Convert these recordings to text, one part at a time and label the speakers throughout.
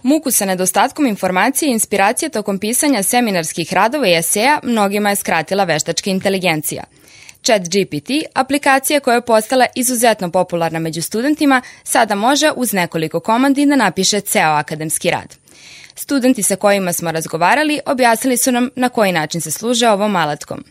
Speaker 1: Muku sa nedostatkom informacije i inspiracije tokom pisanja seminarskih radova i eseja mnogima je skratila veštačka inteligencija. ChatGPT, aplikacija koja je postala izuzetno popularna među studentima, sada može uz nekoliko komandi da napiše ceo akademski rad. Studenti sa kojima smo razgovarali objasnili su nam na koji način se služe ovom alatkom.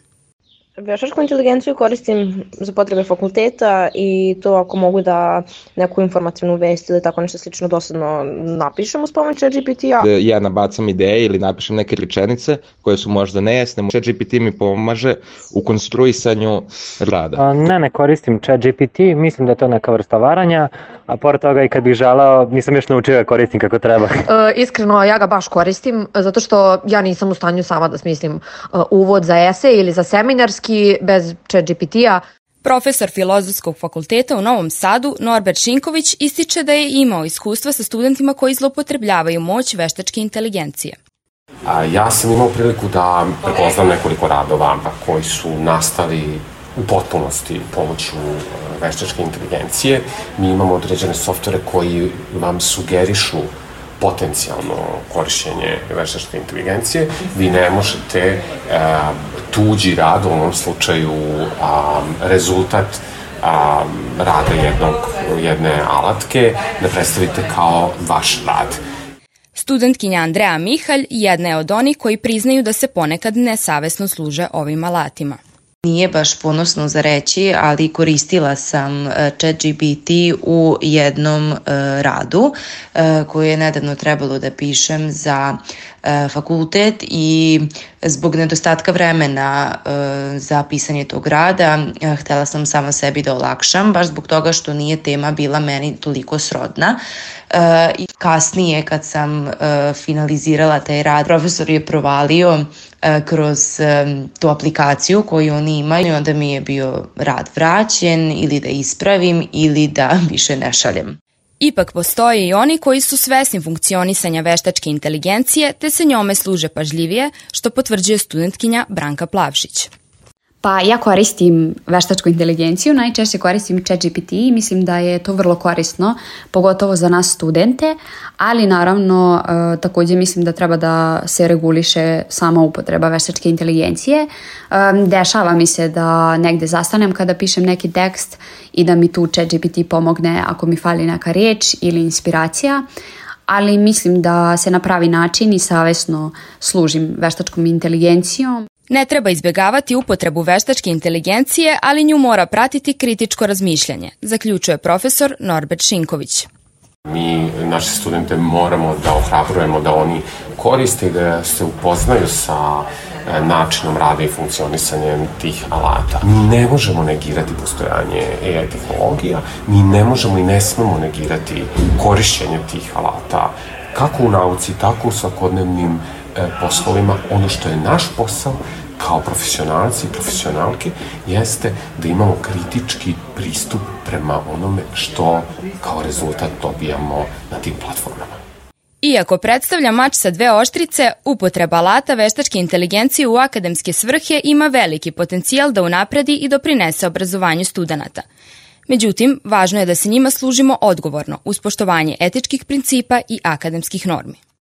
Speaker 2: Veštačku inteligenciju koristim za potrebe fakulteta i to ako mogu da neku informativnu vest ili tako nešto slično dosadno napišem uz pomoć ChatGPT-a.
Speaker 3: Ja nabacam ideje ili napišem neke rečenice koje su možda nejasne. ChatGPT mi pomaže u konstruisanju rada.
Speaker 4: Ne koristim ChatGPT, mislim da je to neka vrsta varanja, a pored toga i kad bih želeo, nisam još naučio da koristim kako treba.
Speaker 5: Iskreno, ja ga baš koristim, zato što ja nisam u stanju sama da smislim uvod za esej ili za seminarski bez ChatGPT-a.
Speaker 1: Profesor Filozofskog fakulteta u Novom Sadu, Norbert Šinković, ističe da je imao iskustva sa studentima koji zloupotrebljavaju moć veštačke inteligencije.
Speaker 6: Ja sam imao priliku da prepoznam nekoliko radova koji su nastali u potpunosti pomoću veštačke inteligencije. Mi imamo određene softvere koji vam sugerišu potencijalno korišćenje veštačke inteligencije. Vi ne možete tuđi rad, u ovom slučaju rezultat rada jedne alatke, da predstavite kao vaš rad.
Speaker 1: Studentkinja Andreja Mihalj jedna je od onih koji priznaju da se ponekad nesavesno služe ovim alatima.
Speaker 7: Nije baš ponosno za reći, ali koristila sam ChatGPT u jednom radu koji je nedavno trebalo da pišem za fakultet i zbog nedostatka vremena za pisanje tog rada htela sam sama sebi da olakšam, baš zbog toga što nije tema bila meni toliko srodna. I kasnije kad sam finalizirala taj rad, profesor je provalio kroz tu aplikaciju koju oni imaju i onda mi je bio rad vraćen ili da ispravim ili da više ne šaljem.
Speaker 1: Ipak postoje i oni koji su svesni funkcionisanja veštačke inteligencije te se njome služe pažljivije, što potvrđuje studentkinja Branka Plavšić.
Speaker 8: Pa ja koristim veštačku inteligenciju, najčešće koristim ChatGPT i mislim da je to vrlo korisno, pogotovo za nas studente, ali naravno također mislim da treba da se reguliše sama upotreba veštačke inteligencije. Dešava mi se da negde zastanem kada pišem neki tekst i da mi tu ChatGPT pomogne ako mi fali neka riječ ili inspiracija, ali mislim da se na pravi način i savesno služim veštačkom inteligencijom.
Speaker 1: Ne treba izbjegavati upotrebu veštačke inteligencije, ali nju mora pratiti kritičko razmišljanje, zaključuje profesor Norbert Šinković.
Speaker 6: Mi naše studente moramo da ohrabrujemo da oni koriste i da se upoznaju sa načinom rada i funkcionisanjem tih alata. Mi ne možemo negirati postojanje AI tehnologija, mi ne možemo i ne smemo negirati korišćenje tih alata, kako u nauci, tako u svakodnevnim poslovima. Ono što je naš posao kao profesionalci i profesionalke jeste da imamo kritički pristup prema onome što kao rezultat dobijamo na tim platformama.
Speaker 1: Iako predstavlja mač sa dve oštrice, upotreba alata veštačke inteligencije u akademske svrhe ima veliki potencijal da unapredi i doprinese obrazovanju studenata. Međutim, važno je da se njima služimo odgovorno uz poštovanje etičkih principa i akademskih normi.